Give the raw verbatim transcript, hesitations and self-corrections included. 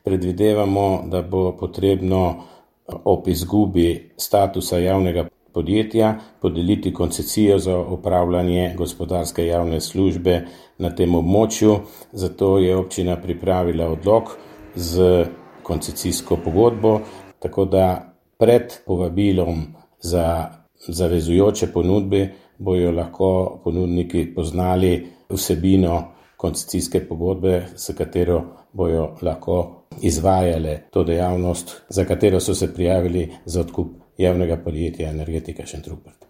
predvidevamo, da bo potrebno ob izgubi statusa javnega podjetja podeliti koncesijo za opravljanje gospodarske javne službe na tem območju. Zato je občina pripravila odlok z koncesijsko pogodbo, tako da pred povabilom za zavezujoče ponudbe bojo lahko ponudniki poznali vsebino koncesijske pogodbe, s katero bojo lahko izvajale to dejavnost, za katero so se prijavili za odkup javnega podjetja Energetika Šentrupert.